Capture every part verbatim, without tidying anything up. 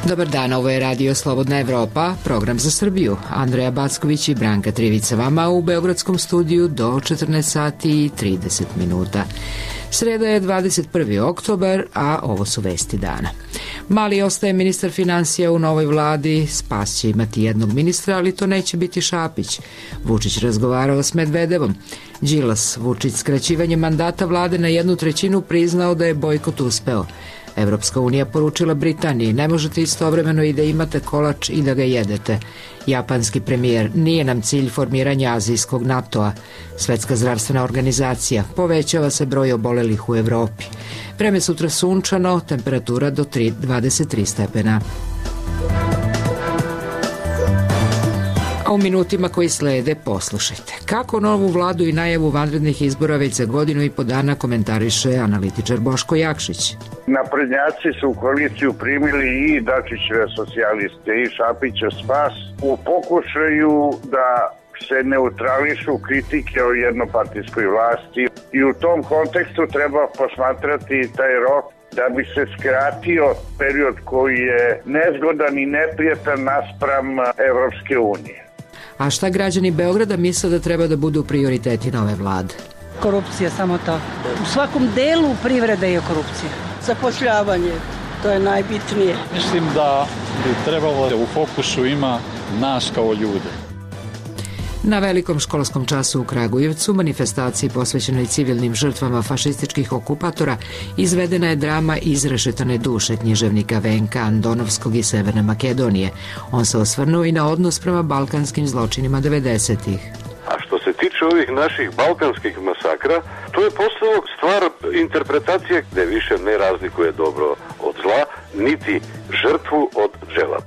Dobar dan, ovo je Radio Slobodna Evropa, program za Srbiju. Andreja Backović i Branka Trivica vama u beogradskom studiju do četrnaest sati i trideset minuta. Sreda je dvadeset prvi oktobar, a ovo su vesti dana. Mali ostaje ministar finansija u novoj vladi, Spas će imati jednog ministra, ali to neće biti Šapić. Vučić razgovarao s Medvedevom. Đilas, Vučić skraćivanjem mandata vlade na jednu trećinu priznao da je bojkot uspeo. Evropska unija poručila Britaniji, ne možete istovremeno i da imate kolač i da ga jedete. Japanski premijer, nije nam cilj formiranja azijskog NATO-a. Svetska zdravstvena organizacija, povećava se broj obolelih u Evropi. Vreme sutra sunčano, temperatura do dvadeset tri stepena. A u minutima koji slede poslušajte. Kako novu vladu i najavu vanrednih izbora već za godinu i po dana komentariše analitičar Boško Jakšić. Naprednjaci su u koaliciju primili i Dačićeve socijaliste i Šapića Spas u pokušaju da se neutrališu kritike o jednopartijskoj vlasti i u tom kontekstu treba posmatrati taj rok da bi se skratio period koji je nezgodan i neprijatan naspram Evropske unije. A šta građani Beograda misle da treba da budu prioriteti nove vlade? Korupcija, samo to. U svakom delu privrede je korupcija. Zapošljavanje, to je najbitnije. Mislim da bi trebalo da u fokusu ima nas kao ljude. Na velikom školskom času u Kragujevcu, manifestaciji posvećenoj civilnim žrtvama fašističkih okupatora, izvedena je drama Izrešetane duše književnika Venka Andonovskog iz Severne Makedonije. On se osvrnuo i na odnos prema balkanskim zločinima devedesetih. A što se tiče ovih naših balkanskih masakra, to je postalo stvar interpretacije gde više ne razlikuje dobro od zla, niti žrtvu od džela.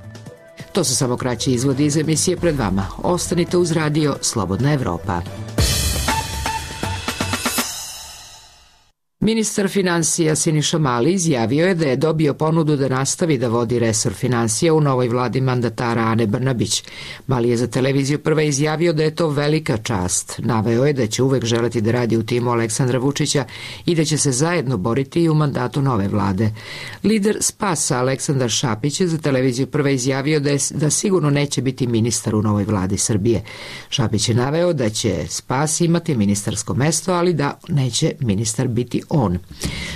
To su samo kraći izvodi iz emisije pred vama. Ostanite uz radio Slobodna Evropa. Ministar finansija Siniša Mali izjavio je da je dobio ponudu da nastavi da vodi resor finansija u novoj vladi mandatara Ane Brnabić. Mali je za televiziju Prva izjavio da je to velika čast. Naveo je da će uvek želeti da radi u timu Aleksandra Vučića i da će se zajedno boriti i u mandatu nove vlade. Lider Spasa Aleksandar Šapić je za televiziju Prva izjavio da, je, da sigurno neće biti ministar u novoj vladi Srbije. Šapić je naveo da će Spas imati ministarsko mesto, ali da neće ministar biti on.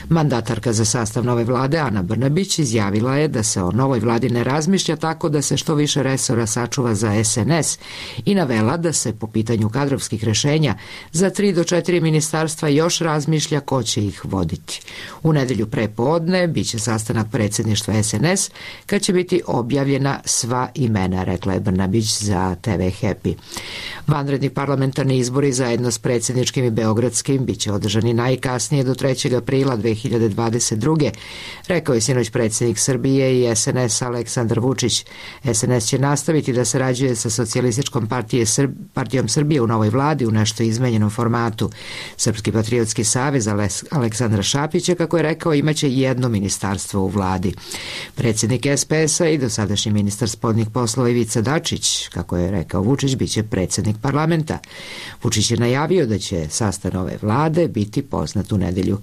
Mandatarka za sastav nove vlade Ana Brnabić izjavila je da se o novoj vladi ne razmišlja tako da se što više resora sačuva za es en es i navela da se po pitanju kadrovskih rešenja za tri do četiri ministarstva još razmišlja ko će ih voditi. U nedelju pre podne biće sastanak predsjedništva es en es kad će biti objavljena sva imena, rekla je Brnabić za te ve Happy. Vanredni parlamentarni izbori zajedno s predsjedničkim i beogradskim biće održani najkasnije do trećeg aprila dve hiljade dvadeset druge. Rekao je sinoć predsjednik Srbije i es en es Aleksandar Vučić. es en es će nastaviti da sarađuje sa Socijalističkom partije Srb... partijom Srbije u novoj vladi u nešto izmenjenom formatu. Srpski patriotski savez Aleksandra Šapića, kako je rekao, imaće jedno ministarstvo u vladi. Predsjednik es pe es-a i dosadašnji ministar spoljnih poslova Ivica Dačić, kako je rekao Vučić, biće predsjednik parlamenta. Vučić je najavio da će sastav nove vlade biti poznat u nedelju.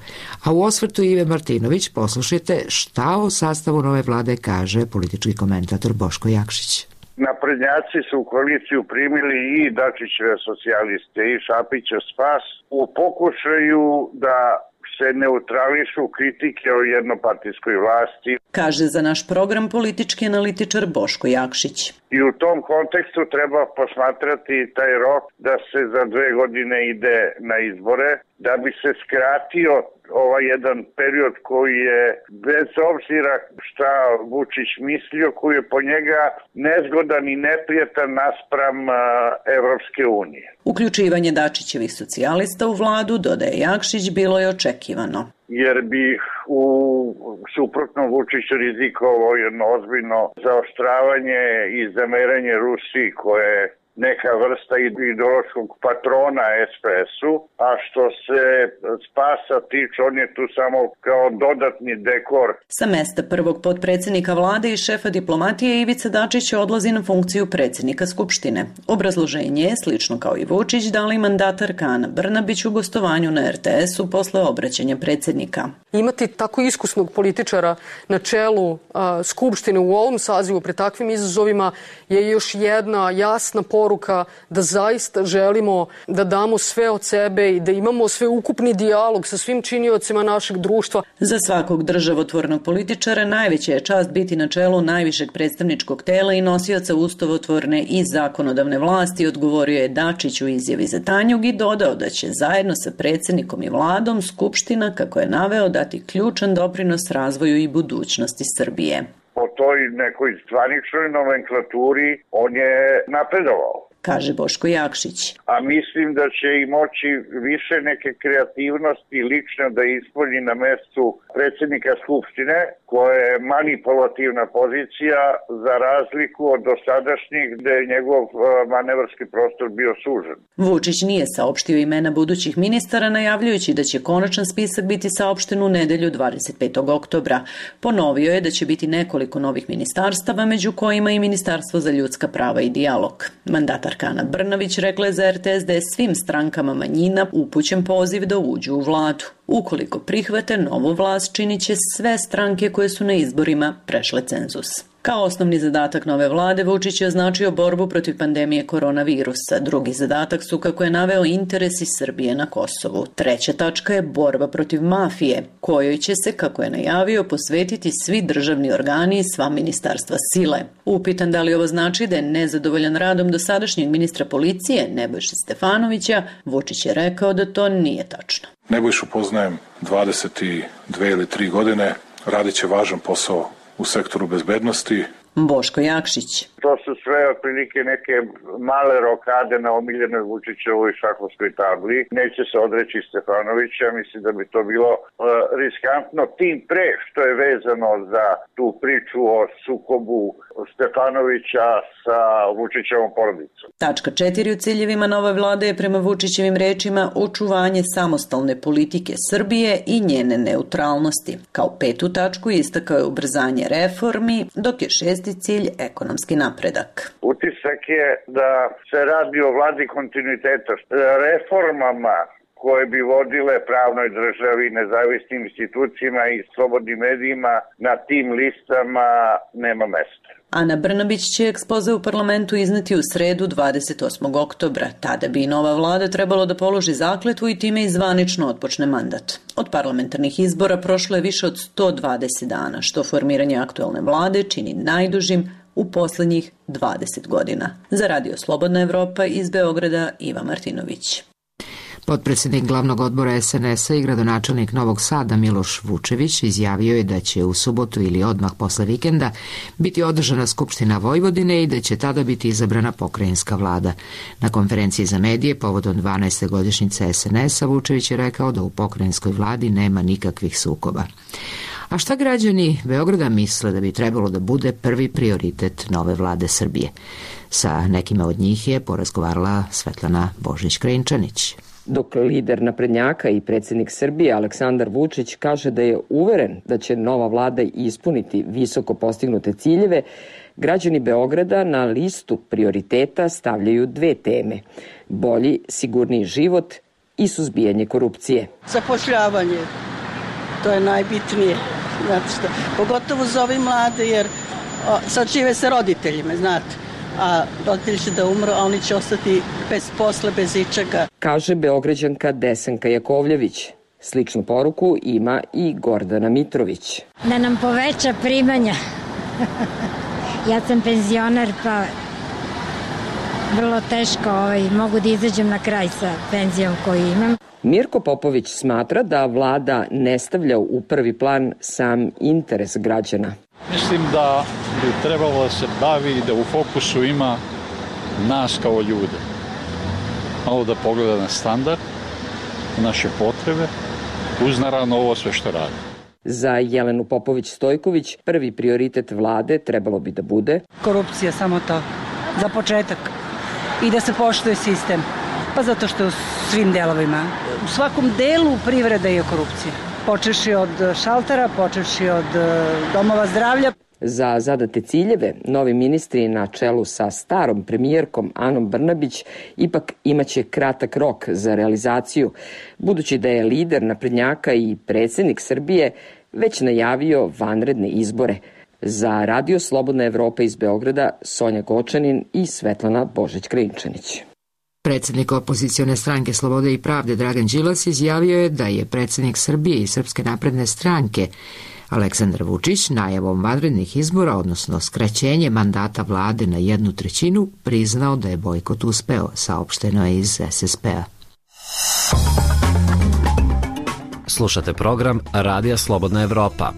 A u osvrtu Ive Martinović poslušajte šta o sastavu nove vlade kaže politički komentator Boško Jakšić. Naprednjaci su u koaliciju primili i Dačićeve socijaliste i Šapića Spas u pokušaju da se neutrališu kritike o jednopartijskoj vlasti. Kaže za naš program politički analitičar Boško Jakšić. I u tom kontekstu treba posmatrati taj rok da se za dve godine ide na izbore, da bi se skratio ovaj jedan period koji je, bez obzira šta Vučić mislio, koji je po njega nezgodan i neprijatan naspram uh, Evropske unije. Uključivanje Dačićevih socijalista u vladu, dodaje Jakšić, bilo je očekivano. Jer bi u suprotnom Vučić rizikovao jedno ozbiljno zaoštravanje i zameranje Rusiji koje neka vrsta ideološkog patrona es pe esu, a što se Spasa tiče, on je tu samo kao dodatni dekor. Sa mesta prvog potpredsjednika vlade i šefa diplomatije Ivica Dačić odlazi na funkciju predsjednika Skupštine. Obrazloženje je, slično kao i Vučić, dali mandatarka Ana Brnabić u gostovanju na er te esu posle obraćanja predsjednika. Imati tako iskusnog političara na čelu a, Skupštine u ovom sazivu pred takvim izazovima je još jedna jasna poruka da zaista želimo da damo sve od sebe i da imamo sveukupni dijalog sa svim činiocima našeg društva. Za svakog državotvornog političara najveća je čast biti na čelu najvišeg predstavničkog tela i nosioca ustavotvorne i zakonodavne vlasti, odgovorio je Dačić u izjavi za Tanjug i dodao da će zajedno sa predsjednikom i vladom Skupština, kako je naveo, dati ključan doprinos razvoju i budućnosti Srbije. Po toj nekoj zvaničnoj nomenklaturi on je napredovao, kaže Boško Jakšić. A mislim da će i moći više neke kreativnosti lično da ispolji na mestu predsjednika Skupštine, koja je manipulativna pozicija za razliku od dosadašnjih gde je njegov manevarski prostor bio sužen. Vučić nije saopštio imena budućih ministara, najavljujući da će konačan spisak biti saopšten u nedelju dvadeset petog oktobra. Ponovio je da će biti nekoliko novih ministarstava, među kojima i Ministarstvo za ljudska prava i dijalog. Mandatarka Ana Brnabić rekla je za er te es da je svim strankama manjina upućen poziv da uđu u vladu. Ukoliko prihvate novu vlast, činit će sve stranke koje su na izborima prešle cenzus. Kao osnovni zadatak nove vlade, Vučić je označio borbu protiv pandemije koronavirusa. Drugi zadatak su, kako je naveo, interesi Srbije na Kosovu. Treća tačka je borba protiv mafije, kojoj će se, kako je najavio, posvetiti svi državni organi i sva ministarstva sile. Upitan da li ovo znači da je nezadovoljan radom dosadašnjeg ministra policije Nebojše Stefanovića, Vučić je rekao da to nije tačno. Nebojšu poznajem dvadeset dve ili tri godine, radit će važan posao u sektoru bezbednosti. Boško Jakšić. To su sve otprilike neke male rokade na omiljenoj Vučićevoj šahovskoj tabli. Neće se odreći Stefanovića, mislim da bi to bilo uh, riskantno, tim pre što je vezano za tu priču o sukobu Stefanovića sa Vučićevom porodicom. Tačka četiri u ciljevima nove vlade je prema Vučićevim rečima očuvanje samostalne politike Srbije i njene neutralnosti. Kao petu tačku istakao je ubrzanje reformi, dok je šesti cilj ekonomski napredak. Utisak je da se radi o vladi kontinuiteta. Reformama koje bi vodile pravnoj državi, nezavisnim institucijama i slobodnim medijima na tim listama nema mesta. Ana Brnabić će ekspoze u parlamentu izneti u sredu dvadeset osmog oktobra. Tada bi i nova vlada trebalo da položi zakletvu i time i zvanično otpočne mandat. Od parlamentarnih izbora prošlo je više od sto dvadeset dana, što formiranje aktuelne vlade čini najdužim u poslednjih dvadeset godina. Za Radio Slobodna Evropa iz Beograda Iva Martinović. Potpredsjednik glavnog odbora es en es a i gradonačelnik Novog Sada Miloš Vučević izjavio je da će u subotu ili odmah posle vikenda biti održana Skupština Vojvodine i da će tada biti izabrana pokrajinska vlada. Na konferenciji za medije povodom dvanaeste godišnjice es en es a Vučević je rekao da u pokrajinskoj vladi nema nikakvih sukoba. A šta građani Beograda misle da bi trebalo da bude prvi prioritet nove vlade Srbije? Sa nekima od njih je porazgovarala Svetlana Božić-Krajinčanić. Dok lider naprednjaka i predsjednik Srbije Aleksandar Vučić kaže da je uveren da će nova vlada ispuniti visoko postignute ciljeve, građani Beograda na listu prioriteta stavljaju dve teme: bolji, sigurniji život i suzbijanje korupcije. Zapošljavanje, to je najbitnije, znate što, pogotovo za ove mlade, jer o, sad žive sa roditeljima, znate. A roditelji će da umru, a oni će ostati bez posla, bez ičega. Kaže Beograđanka Desanka Jakovljević. Sličnu poruku ima i Gordana Mitrović. Da nam poveća primanja. Ja sam penzioner, pa vrlo teško ovaj, mogu da izađem na kraj sa penzijom koju imam. Mirko Popović smatra da vlada ne stavlja u prvi plan sam interes građana. Mislim da bi trebalo da se bavi i da u fokusu ima nas kao ljude. Malo da pogleda na standard, naše potrebe, uz naravno ovo sve što radi. Za Jelenu Popović-Stojković prvi prioritet vlade trebalo bi da bude korupcija, samo to, za početak. i da se poštuje sistem. Pa zato što u svim delovima, u svakom delu privrede je korupcija. Počeši od šaltera, počeši od domova zdravlja. Za zadate ciljeve, novi ministri na čelu sa starom premijerkom Anom Brnabić ipak imaće kratak rok za realizaciju, budući da je lider naprednjaka i predsjednik Srbije već najavio vanredne izbore. Za Radio Slobodna Evropa iz Beograda, Sonja Gočanin i Svetlana Božić-Krinčanić. Predsjednik opozicione stranke Slobode i pravde Dragan Đilas izjavio je da je predsjednik Srbije i Srpske napredne stranke Aleksandar Vučić najavom vanrednih izbora, odnosno skraćenje mandata vlade na jednu trećinu, priznao da je bojkot uspeo, saopšteno je iz es es pe a. Slušate program Radija Slobodna Evropa.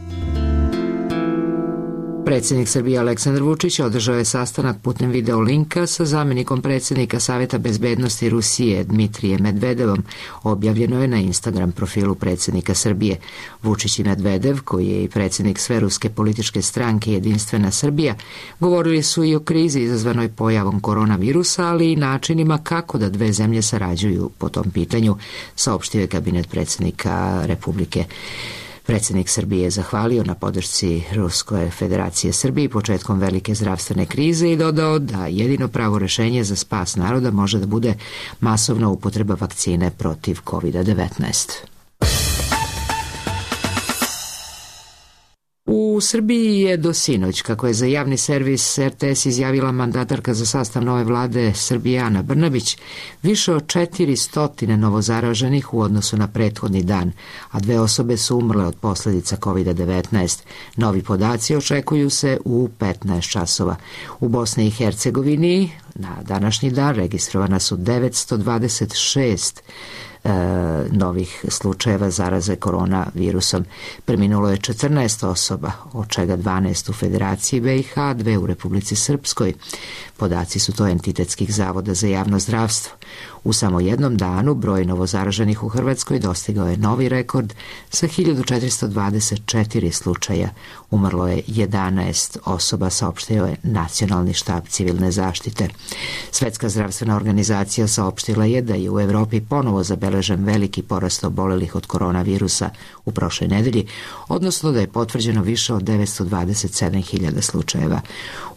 Predsjednik Srbije Aleksandar Vučić održao je sastanak putem video linka sa zamjenikom predsjednika Saveta bezbednosti Rusije Dmitrijem Medvedevom, objavljeno je na Instagram profilu predsjednika Srbije. Vučić i Medvedev, koji je i predsjednik sveruske političke stranke Jedinstvena Srbija, govorili su i o krizi izazvanoj pojavom koronavirusa, ali i načinima kako da dve zemlje sarađuju po tom pitanju, saopštio je kabinet predsjednika Republike. Predsjednik Srbije je zahvalio na podršci Ruskoj federacije Srbiji početkom velike zdravstvene krize i dodao da jedino pravo rešenje za spas naroda može da bude masovna upotreba vakcine protiv kovid devetnaest. U Srbiji je do sinoć, kako je za javni servis er te es izjavila mandatarka za sastav nove vlade Srbije Ana Brnabić, više od četiristo novozaraženih u odnosu na prethodni dan, a dve osobe su umrle od posljedica kovid devetnaest. Novi podaci očekuju se u petnaest časova. U Bosni i Hercegovini na današnji dan registrovana su devetsto dvadeset šest E, novih slučajeva zaraze koronavirusom. Preminulo je četrnaest osoba, od čega dvanaest u Federaciji be i ha, dve u Republici Srpskoj. Podaci su to entitetskih zavoda za javno zdravstvo. U samo jednom danu broj novozaraženih u Hrvatskoj dostigao je novi rekord sa hiljadu četiristo dvadeset četiri slučaja. Umrlo je jedanaest osoba, saopštio je Nacionalni štab civilne zaštite. Svetska zdravstvena organizacija saopštila je da je u Evropi ponovo zabeležen veliki porast obolelih od koronavirusa u prošloj nedelji, odnosno da je potvrđeno više od devetsto dvadeset sedam hiljada slučajeva.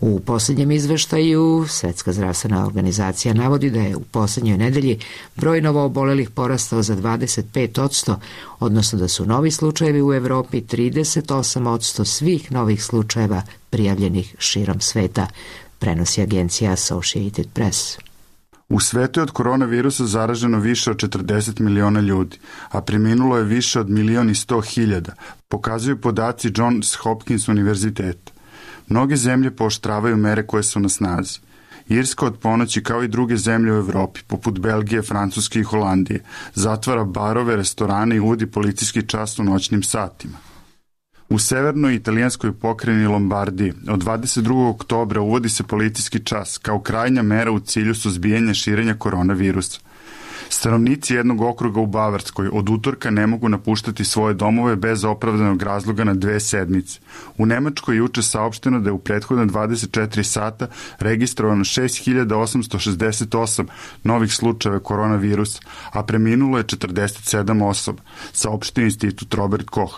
U posljednjem izveštaju Svetska zdravstvena organizacija navodi da je u posljednjoj nedelji broj novoobolelih porastao za dvadeset pet posto, odnosno da su novi slučajevi u Evropi trideset osam posto svih novih slučajeva prijavljenih širom sveta, prenosi agencija Associated Press. U svetu je od koronavirusa zaraženo više od četrdeset miliona ljudi, a preminulo je više od milion i sto hiljada, pokazuju podaci Johns Hopkins univerziteta. Mnoge zemlje pooštravaju mere koje su na snazi. Irska od ponoći, kao i druge zemlje u Evropi, poput Belgije, Francuske i Holandije, zatvara barove, restorane i uvodi policijski čas u noćnim satima. U severnoj italijanskoj pokrajini Lombardiji od dvadeset drugog oktobra uvodi se policijski čas kao krajnja mera u cilju suzbijanja širenja koronavirusa. Stanovnici jednog okruga u Bavarskoj od utorka ne mogu napuštati svoje domove bez opravdanog razloga na dve sedmice. U Nemačkoj je juče saopšteno da je u prethodne dvadeset četiri sata registrovano šest hiljada osamsto šezdeset osam novih slučajeva koronavirusa, a preminulo je četrdeset sedam osoba, saopštio institut Robert Koch.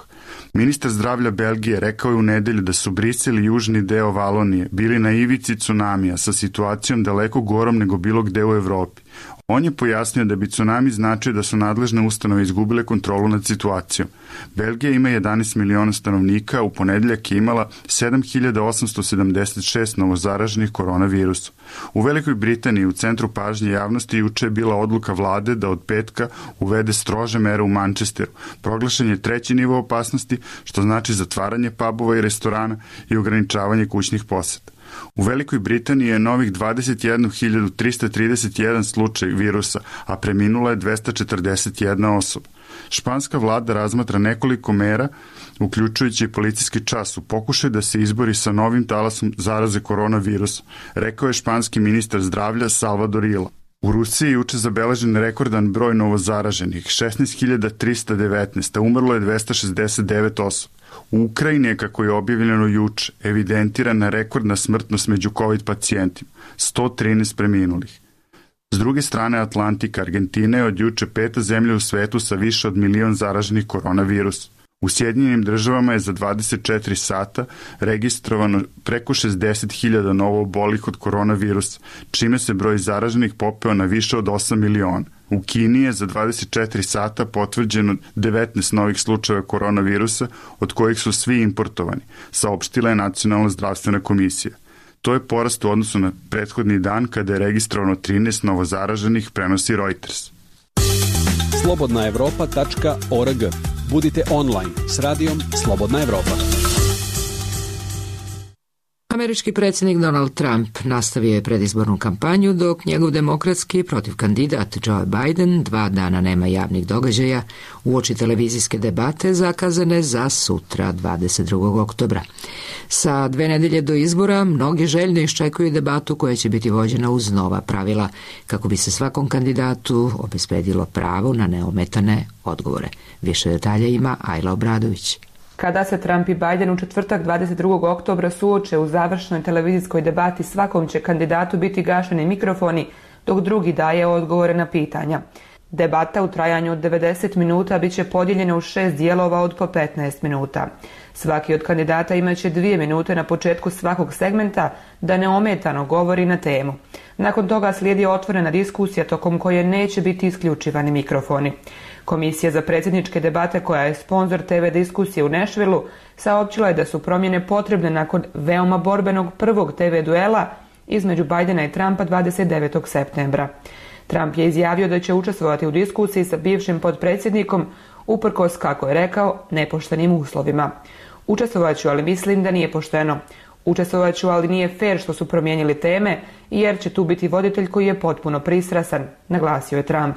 Ministar zdravlja Belgije rekao je u nedelju da su Brisel i južni deo Valonije bili na ivici tsunamija sa situacijom daleko gorom nego bilo gde u Evropi. On je pojasnio da bi tsunami značio da su nadležne ustanove izgubile kontrolu nad situacijom. Belgija ima jedanaest miliona stanovnika, u ponedeljak je imala sedam hiljada osamsto sedamdeset šest novozaraženih koronavirusom. U Velikoj Britaniji u centru pažnje javnosti juče je bila odluka vlade da od petka uvede strože mere u Manchesteru. Proglašen je treći nivo opasnosti, što znači zatvaranje pubova i restorana i ograničavanje kućnih poseta. U Velikoj Britaniji je novih dvadeset jednu hiljadu trista trideset jedan slučaj virusa, a preminula je dvesta četrdeset jedna osoba. Španska vlada razmatra nekoliko mera, uključujući i policijski čas, u pokušaju da se izbori sa novim talasom zaraze koronavirusa, rekao je španski ministar zdravlja Salvador Illa. U Rusiji je juče zabeležen rekordan broj novozaraženih, šesnaest hiljada trista devetnaest, a umrlo je dvesta šezdeset devet osoba. U Ukrajini je, kako je objavljeno juče, evidentirana rekordna smrtnost među COVID pacijentima, sto trinaest preminulih. S druge strane Atlantika, Argentina je od juče peta zemlja u svetu sa više od milion zaraženih koronavirusa. U Sjedinjenim državama je za dvadeset četiri sata registrovano preko šezdeset hiljada novo obolih od koronavirusa, čime se broj zaraženih popeo na više od osam miliona. U Kini je za dvadeset četiri sata potvrđeno devetnaest novih slučajeva koronavirusa, od kojih su svi importovani, saopštila je Nacionalna zdravstvena komisija. To je porast u odnosu na prethodni dan kada je registrovano trinaest novozaraženih, prenosi Reuters. slobodna evropa tačka org. Budite online s radijom Slobodna Evropa. Američki predsjednik Donald Trump nastavio je predizbornu kampanju dok njegov demokratski protiv kandidat Joe Biden dva dana nema javnih događaja uoči televizijske debate zakazane za sutra dvadeset drugog oktobra. Sa dve nedelje do izbora mnogi željno iščekuju debatu koja će biti vođena uz nova pravila kako bi se svakom kandidatu obezbedilo pravo na neometane odgovore. Više detalja ima Ajla Obradović. Kada se Trump i Biden u četvrtak dvadeset drugog oktobra suoče u završnoj televizijskoj debati, svakom će kandidatu biti gašeni mikrofoni, dok drugi daje odgovore na pitanja. Debata u trajanju od devedeset minuta biće podijeljena u šest dijelova od po petnaest minuta. Svaki od kandidata imaće dvije minute na početku svakog segmenta da neometano govori na temu. Nakon toga slijedi otvorena diskusija tokom koje neće biti isključivani mikrofoni. Komisija za predsjedničke debate, koja je sponzor te ve diskusije u Nashvilleu, saopćila je da su promjene potrebne nakon veoma borbenog prvog te ve duela između Bidena i Trumpa dvadeset devetog septembra. Trump je izjavio da će učestvovati u diskusiji sa bivšim potpredsjednikom uprkos, kako je rekao, nepoštenim uslovima. Učestvovaću, ali mislim da nije pošteno. Učestvovaću, ali nije fair što su promijenili teme, jer će tu biti voditelj koji je potpuno pristrasan, naglasio je Trump.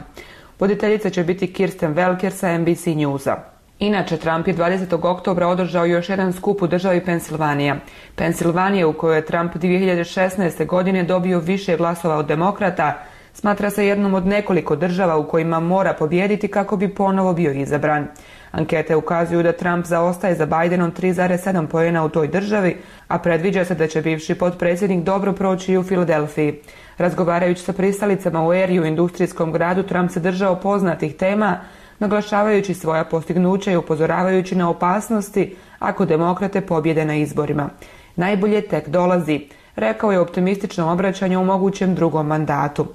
Voditeljica će biti Kirsten Welker sa en bi si Newsa. Inače, Trump je dvadesetog oktobra održao još jedan skup u državi Pensilvanija. Pensilvanija, u kojoj je Trump dvije hiljade šesnaeste. godine dobio više glasova od demokrata, smatra se jednom od nekoliko država u kojima mora pobijediti kako bi ponovo bio izabran. Ankete ukazuju da Trump zaostaje za Bidenom tri zarez sedam poena u toj državi, a predviđa se da će bivši potpredsjednik dobro proći i u Filadelfiji. Razgovarajući sa pristalicama u Eriju, industrijskom gradu, Trump se držao poznatih tema, naglašavajući svoja postignuća i upozoravajući na opasnosti ako demokrate pobjede na izborima. Najbolje tek dolazi, rekao je u optimističnom obraćanju u mogućem drugom mandatu.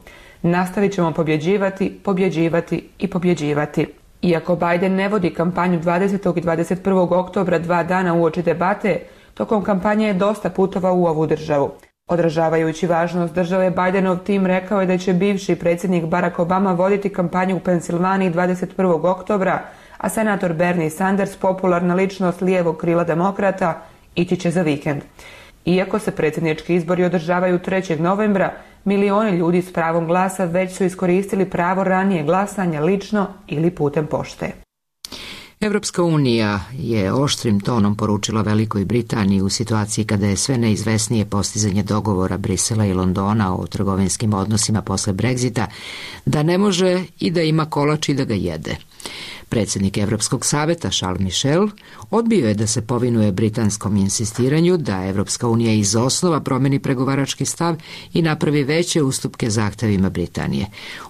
Nastavit ćemo pobjeđivati, pobjeđivati i pobjeđivati. Iako Biden ne vodi kampanju dvadesetog i dvadeset prvog oktobra, dva dana uoči debate, tokom kampanje je dosta putovao u ovu državu. Odražavajući važnost države, Bidenov tim rekao je da će bivši predsjednik Barack Obama voditi kampanju u Pensilvaniji dvadeset prvog oktobra, a senator Bernie Sanders, popularna ličnost lijevog krila demokrata, ići će za vikend. Iako se predsjednički izbori održavaju trećeg novembra, milioni ljudi s pravom glasa već su iskoristili pravo ranije glasanja lično ili putem pošte. Evropska unija je oštrim tonom poručila Velikoj Britaniji u situaciji kada je sve neizvesnije postizanje dogovora Brisela i Londona o trgovinskim odnosima posle Brexita, da ne može i da ima kolač i da ga jede. Predsjednik Evropskog saveta Charles Michel odbio je da se povinuje britanskom insistiranju da Evropska unija iz osnova promeni pregovarački stav i napravi veće ustupke zahtevima Britanije.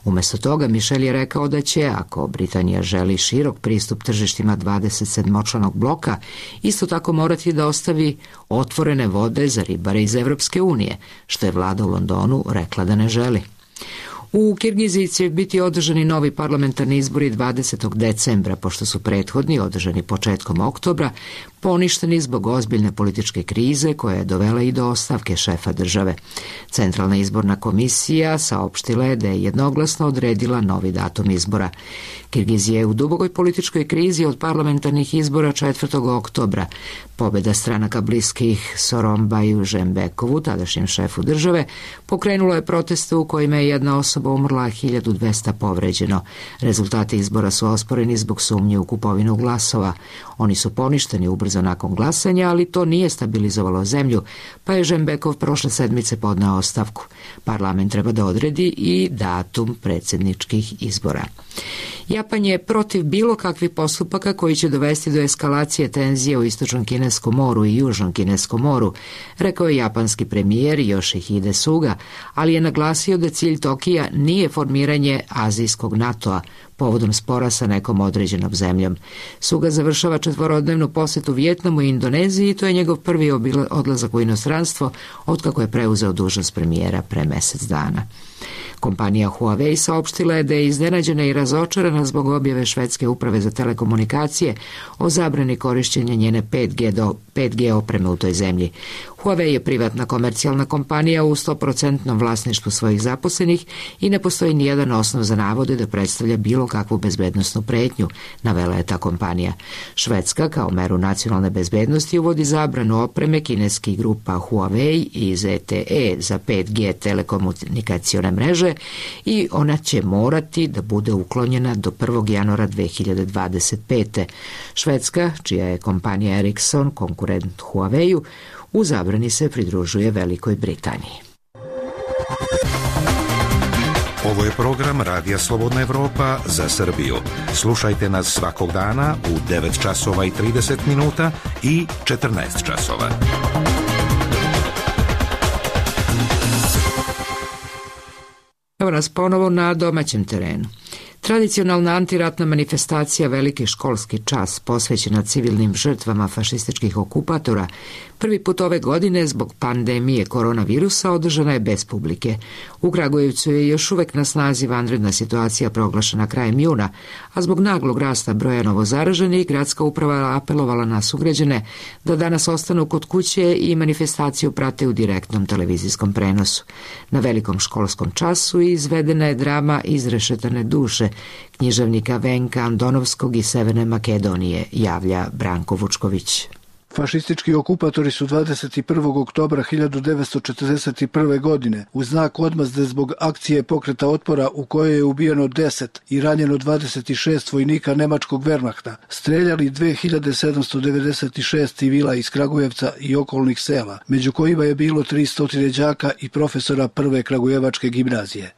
Umesto toga Michel je rekao da će, ako Britanija želi širok pristup tržištima dvadeset sedmočlanog bloka, isto tako morati da ostavi otvorene vode za ribare iz Evropske unije, što je vlada u Londonu rekla da ne želi. U Kirgiziji će biti održani novi parlamentarni izbori dvadesetog decembra, pošto su prethodni, održani početkom oktobra, poništeni zbog ozbiljne političke krize koja je dovela i do ostavke šefa države. Centralna izborna komisija saopštila je da je jednoglasno odredila novi datum izbora. Kirgizija je u dubokoj političkoj krizi od parlamentarnih izbora četvrtog oktobra. Pobjeda stranaka bliskih Sooronbaju Žembekovu, tadašnjem šefu države, pokrenulo je proteste u kojima je jedna osoba umrla, a hiljadu dvesta povređeno. Rezultati izbora su osporeni zbog sumnje u kupovinu glasova. Oni su poništeni ubrzo nakon glasanja, ali to nije stabilizovalo zemlju, pa je Žembekov prošle sedmice podneo ostavku. Parlament treba da odredi i datum predsjedničkih izbora. Japan je protiv bilo kakvih postupaka koji će dovesti do eskalacije tenzije u Istočnom Kineskom moru i Južnom Kineskom moru, rekao je japanski premijer Yoshihide Suga, ali je naglasio da cilj Tokija nije formiranje azijskog NATO-a povodom spora sa nekom određenom zemljom. Suga završava četvorodnevnu posetu Vijetnamu i Indoneziji i to je njegov prvi odlazak u inostranstvo otkako je preuzeo dužnost premijera pre mesec dana. Kompanija Huawei saopštila je da je iznenađena i razočarana zbog objave švedske uprave za telekomunikacije o zabrani korišćenja njene pet G do pet G opreme u toj zemlji. Huawei je privatna komercijalna kompanija u sto posto vlasništvu svojih zaposlenih i ne postoji nijedan osnov za navode da predstavlja bilo kakvu bezbednosnu pretnju, navela je ta kompanija. Švedska kao meru nacionalne bezbednosti uvodi zabranu opreme kineskih grupa Huawei i Z T E za pet G telekomunikacione mreže i ona će morati da bude uklonjena do prvog januara dve hiljade dvadeset pete. Švedska, čija je kompanija Ericsson konkurent Huawei-u, u zabrani se pridružuje Velikoj Britaniji. Ovo je program Radija Slobodna Evropa za Srbiju. Slušajte nas svakog dana u devet časova i trideset minuta i četrnaest časova. Evo nas ponovo na domaćem terenu. Tradicionalna antiratna manifestacija Veliki školski čas posvećena civilnim žrtvama fašističkih okupatora prvi put ove godine zbog pandemije koronavirusa održana je bez publike. U Kragujevcu je još uvek na snazi vanredna situacija proglašena krajem juna, a zbog naglog rasta broja novozaraženih gradska uprava apelovala na sugrađane da danas ostanu kod kuće i manifestaciju prate u direktnom televizijskom prenosu. Na Velikom školskom času izvedena je drama Izrešetane duše književnika Venka Andonovskog iz Severne Makedonije, javlja Branko Vučković. Fašistički okupatori su dvadeset prvog oktobra hiljadu devetsto četrdeset prve. godine u znak odmazde zbog akcije pokreta otpora u kojoj je ubijeno deset i ranjeno dvadeset šest vojnika nemačkog Wehrmachta streljali dve hiljade sedamsto devedeset šest civila iz Kragujevca i okolnih sela, među kojima je bilo tristo đaka i profesora prve Kragujevačke gimnazije.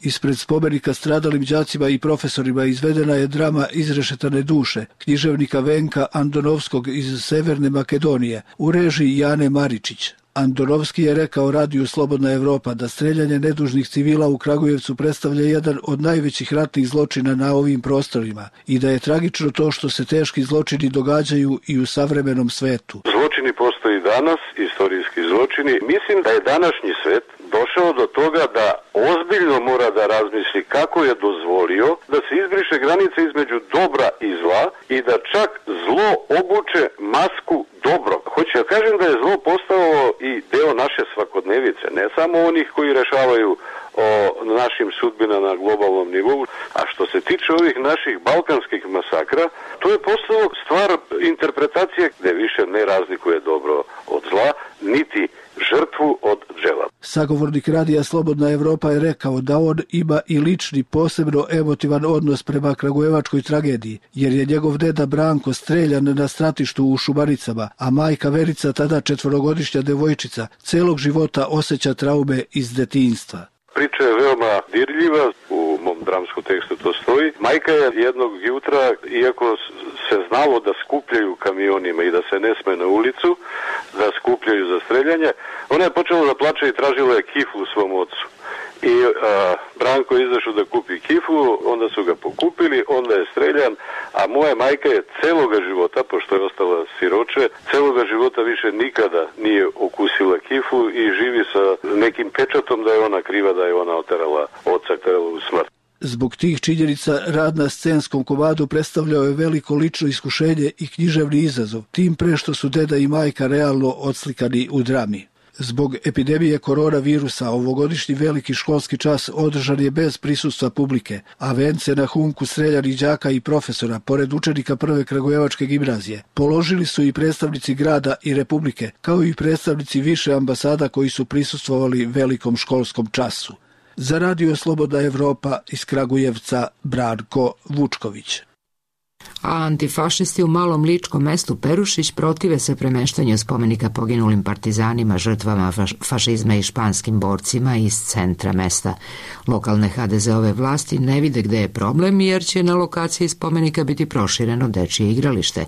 Ispred spomenika stradalim đacima i profesorima izvedena je drama Izrešetane duše književnika Venka Andonovskog iz Severne Makedonije u režiji Jane Maričić. Andonovski je rekao Radiju Slobodna Evropa da streljanje nedužnih civila u Kragujevcu predstavlja jedan od najvećih ratnih zločina na ovim prostorima i da je tragično to što se teški zločini događaju i u savremenom svetu. Zločini postoji danas, istorijski zločini. Mislim da je današnji svet došao do toga da ozbiljno mora da razmisli kako je dozvolio da se izbriše granica između dobra i zla i da čak zlo obuče masku dobro. Hoću ja kažem da je zlo postao i deo naše svakodnevice, ne samo onih koji rešavaju o našim sudbina na globalnom nivou. A što se tiče ovih naših balkanskih masakra, to je postalo stvar interpretacije gde više ne razlikuje dobro od zla, niti žrtvu od džela. Sagovornik Radija Slobodna Evropa je rekao da on ima i lični posebno emotivan odnos prema kragujevačkoj tragediji, jer je njegov deda Branko streljan na stratištu u Šumaricama, a majka Verica, tada četvorogodišnja devojčica, celog života osjeća traume iz detinjstva. Priča je veoma dirljiva, u mom dramskom tekstu to stoji. Majka je jednog jutra, iako se znalo da skupljaju kamionima i da se ne sme na ulicu, da skupljaju za streljanje, ona je počela da plače i tražila je kifu u svom ocu. I a, Branko je izašao da kupi kifu, onda su ga pokupili, onda je streljan, a moja majka je celoga života, pošto je ostala siroče, celoga života više nikada nije okusila kifu i živi sa nekim pečatom da je ona kriva, da je ona oterala oca, terala u smrt. Zbog tih činjenica rad na scenskom komadu predstavljao je veliko lično iskušenje i književni izazov, tim pre što su deda i majka realno odslikani u drami. Zbog epidemije koronavirusa ovogodišnji veliki školski čas održan je bez prisustva publike, a vence na humku streljanih đaka i profesora, pored učenika prve Kragujevačke gimnazije, položili su i predstavnici grada i republike, kao i predstavnici više ambasada koji su prisustvovali velikom školskom času. Za Radio Slobodna Evropa iz Kragujevca, Branko Vučković. A antifašisti u malom ličkom mestu Perušić protive se premeštanju spomenika poginulim partizanima, žrtvama fašizma i španskim borcima iz centra mesta. Lokalne ha de ze-ove vlasti ne vide gde je problem, jer će na lokaciji spomenika biti prošireno dečije igralište.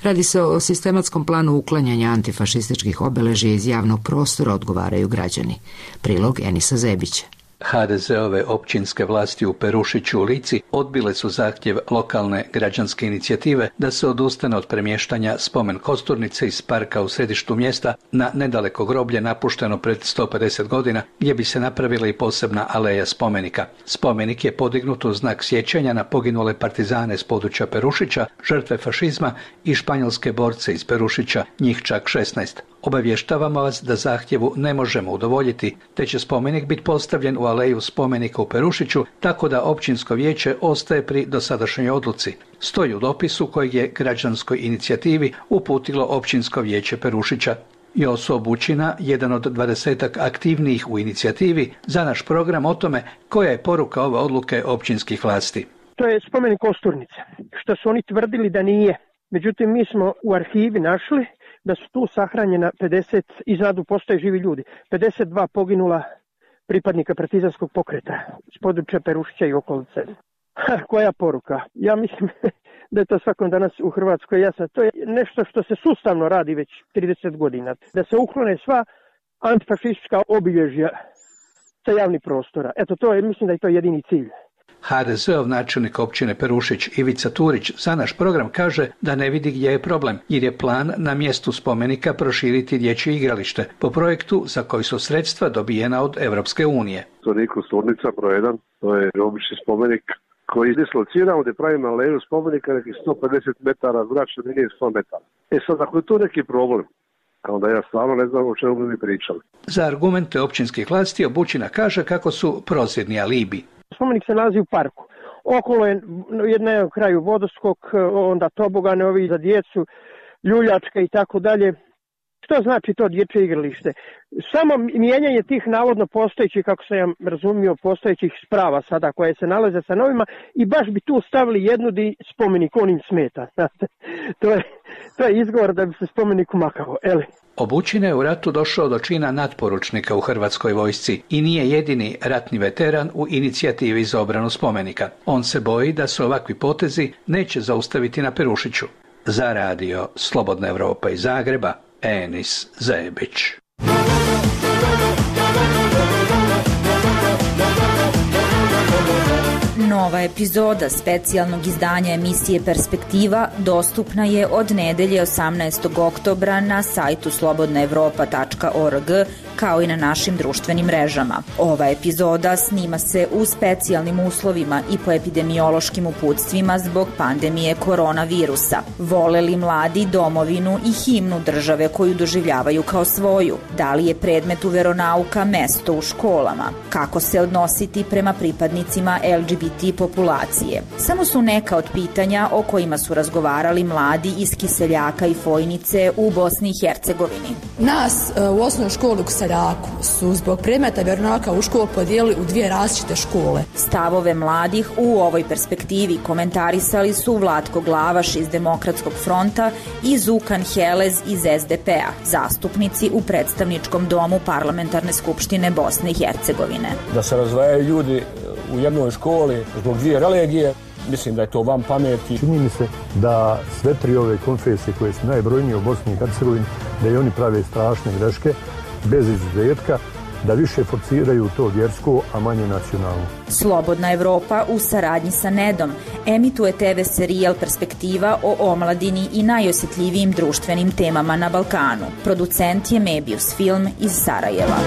Radi se o sistematskom planu uklanjanja antifašističkih obeležja iz javnog prostora, odgovaraju građani. Prilog Enisa Zebića. ha de ze-ove općinske vlasti u Perušiću u Lici odbile su zahtjev lokalne građanske inicijative da se odustane od premještanja spomen kosturnice iz parka u središtu mjesta na nedaleko groblje napušteno pred sto pedeset godina, gdje bi se napravila i posebna aleja spomenika. Spomenik je podignut u znak sjećanja na poginule partizane s područja Perušića, žrtve fašizma i španjolske borce iz Perušića, njih čak šesnaest. Obavještavamo vas da zahtjevu ne možemo udovoljiti, te će spomenik biti postavljen u aleju spomenika u Perušiću, tako da općinsko vijeće ostaje pri dosadašnjoj odluci. Stoji u dopisu kojeg je građanskoj inicijativi uputilo općinsko vijeće Perušića. Joso Bućina, jedan od dvadesetak aktivnijih u inicijativi, za naš program o tome koja je poruka ove odluke općinskih vlasti. To je spomenik kosturnice, što su oni tvrdili da nije. Međutim, mi smo u arhivi našli da su tu sahranjena pedeset, iznadu postoje živi ljudi, pedeset dva poginula pripadnika partizanskog pokreta s područja Perušića i okolice. Koja poruka? Ja mislim da je to svakom danas u Hrvatskoj jasno. To je nešto što se sustavno radi već trideset godina. Da se uklone sva antifašistička obilježja sa javnih prostora. Eto, to je, mislim da je to jedini cilj. ha de ze-ov načelnik općine Perušić Ivica Turić za naš program kaže da ne vidi gdje je problem, jer je plan na mjestu spomenika proširiti dječje igralište po projektu za koji su sredstva dobijena od Europske unije. To nije kosturnica broj jedan, to je obični spomenik koji je dislociran gdje pravimo aleju spomenika nekih sto pedeset metara zračne linije sto metara. E sad, ako je to neki problem, onda ja stvarno ne znam o čemu bi mi pričali. Za argumente općinskih vlasti Bućina kaže kako su prozirni alibi. Spomenik se nalazi u parku. Okolo je na kraju vodoskok, onda tobogane ovi za djecu, ljuljačka i tako dalje. Što znači to dječje igralište? Samo mijenjanje tih navodno postojećih, kako sam ja razumio, postojećih sprava sada koje se nalaze sa novima i baš bi tu stavili jednu di spomenik onim smeta. to, je, to je izgovor da bi se spomenik umakao. Eli. Bućina je u ratu došao do čina natporučnika u Hrvatskoj vojsci i nije jedini ratni veteran u inicijativi za obranu spomenika. On se boji da se ovakvi potezi neće zaustaviti na Perušiću. Za radio Slobodna Evropa iz Zagreba, Enis Zebić. Nova epizoda specijalnog izdanja emisije Perspektiva dostupna je od nedelje osamnaestog oktobra na sajtu slobodna evropa tačka org kao i na našim društvenim mrežama. Ova epizoda snima se u specijalnim uslovima i po epidemiološkim uputstvima zbog pandemije koronavirusa. Vole li mladi domovinu i himnu države koju doživljavaju kao svoju? Da li je predmet u veronauka mesto u školama? Kako se odnositi prema pripadnicima el ge be te populacije? Samo su neka od pitanja o kojima su razgovarali mladi iz Kiseljaka i Fojnice u Bosni i Hercegovini. Nas u osnovnoj školi u Kiseljaku su zbog predmeta veronauka u školu podijelili u dvije različite škole. Stavove mladih u ovoj perspektivi komentarisali su Vlatko Glavaš iz Demokratskog fronta i Zukan Helez iz es de pe a, zastupnici u predstavničkom domu Parlamentarne skupštine Bosne i Hercegovine. Da se razvajaju ljudi u jednoj školi zbog dvije religije, mislim da je to van pameti. Čini mi se da sve tri ove konfesije koje su najbrojnije u Bosni i Hercegovini, da i oni prave strašne greške, bez izuzetka, da više forciraju to vjersko, a manje nacionalno. Slobodna Evropa u saradnji sa Nedom emituje te ve serijal Perspektiva o omladini i najosjetljivijim društvenim temama na Balkanu. Producent je Mebius Film iz Sarajeva.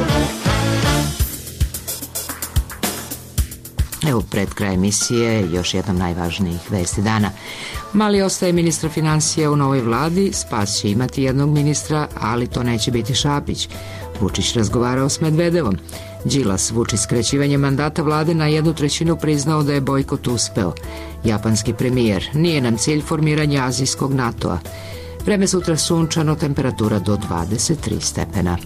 Evo pred kraj emisije još jednom najvažnijih vesti dana. Mali ostaje ministra financija u novoj vladi, Spas će imati jednog ministra, ali to neće biti Šapić. Vučić razgovarao s Medvedevom. Đilas, Vučić skraćivanje mandata vlade na jednu trećinu priznao da je bojkot uspeo. Japanski premijer, nije nam cilj formiranje azijskog NATO-a. Vreme sutra sunčano, temperatura do dvadeset tri stepena.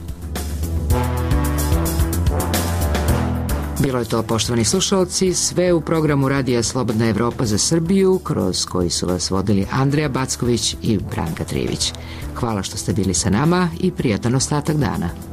Bilo je to, poštovani slušalci, sve u programu Radija Slobodna Evropa za Srbiju, kroz koji su vas vodili Andreja Backović i Branka Trivić. Hvala što ste bili sa nama i prijatan ostatak dana.